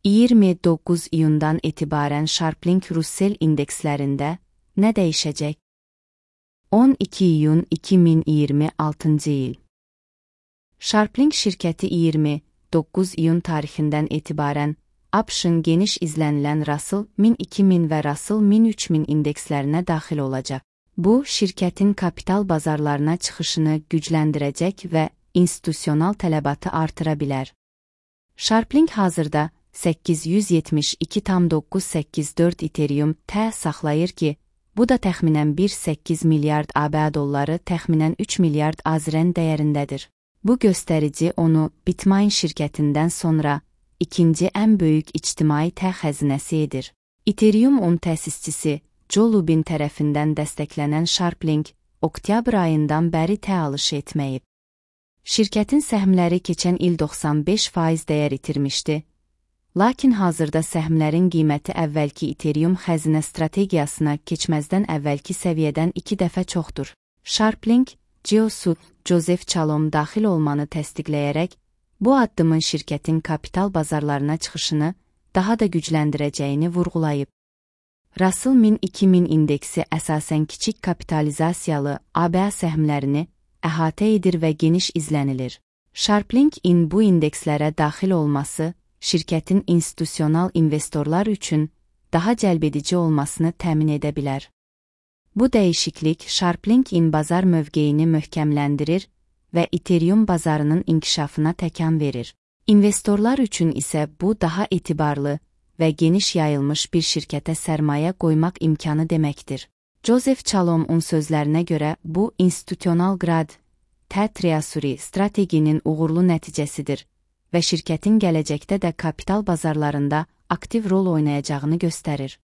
29 iyundan etibarən Sharplink Russell indekslərində nə dəyişəcək? 12 iyun 2026 il. Sharplink şirkəti 29 iyun tarixindən etibarən ABŞ-ın geniş izlənilən Russell 1000-2000 və Russell 1000-3000 indekslərinə daxil olacaq. Bu, şirkətin kapital bazarlarına çıxışını gücləndirəcək və institusional tələbatı artıra bilər. Sharplink hazırda 872,984 Ethereum saxlayır ki, bu da təxminən 1,8 milyard ABA dolları, təxminən 3 milyard AZRN dəyərindədir. Bu göstərici onu Bitmain şirkətindən sonra ikinci ən böyük ictimai xəzinəsi edir. Ethereum təsisçisi Joe Lubin tərəfindən dəstəklənən Sharplink, oktyabr ayından bəri alış etməyib. Şirkətin səhmləri keçən il 95% dəyər itirmişdi. Lakin hazırda səhmlərin qiyməti əvvəlki Ethereum xəzinə strategiyasına keçməzdən əvvəlki səviyyədən 2 dəfə çoxdur. Sharplink, CEO-su Joseph Chalom daxil olmanı təsdiqləyərək, bu addımın şirkətin kapital bazarlarına çıxışını daha da gücləndirəcəyini vurğulayıb. Russell 1000-2000 indeksi əsasən kiçik kapitalizasiyalı ABA səhmlərini əhatə edir və geniş izlənilir. Sharplink-in bu indekslərə daxil olması, şirkətin institusional investorlar üçün daha cəlbedici olmasını təmin edə bilər. Bu dəyişiklik Sharplink-in bazar mövqeyini möhkəmləndirir və Ethereum bazarının inkişafına təkan verir. İnvestorlar üçün isə bu daha etibarlı və geniş yayılmış bir şirkətə sərmayə qoymaq imkanı deməkdir. Joseph Chalomun sözlərinə görə bu institutional grad treasury strateginin uğurlu nəticəsidir və şirkətin gələcəkdə də kapital bazarlarında aktiv rol oynayacağını göstərir.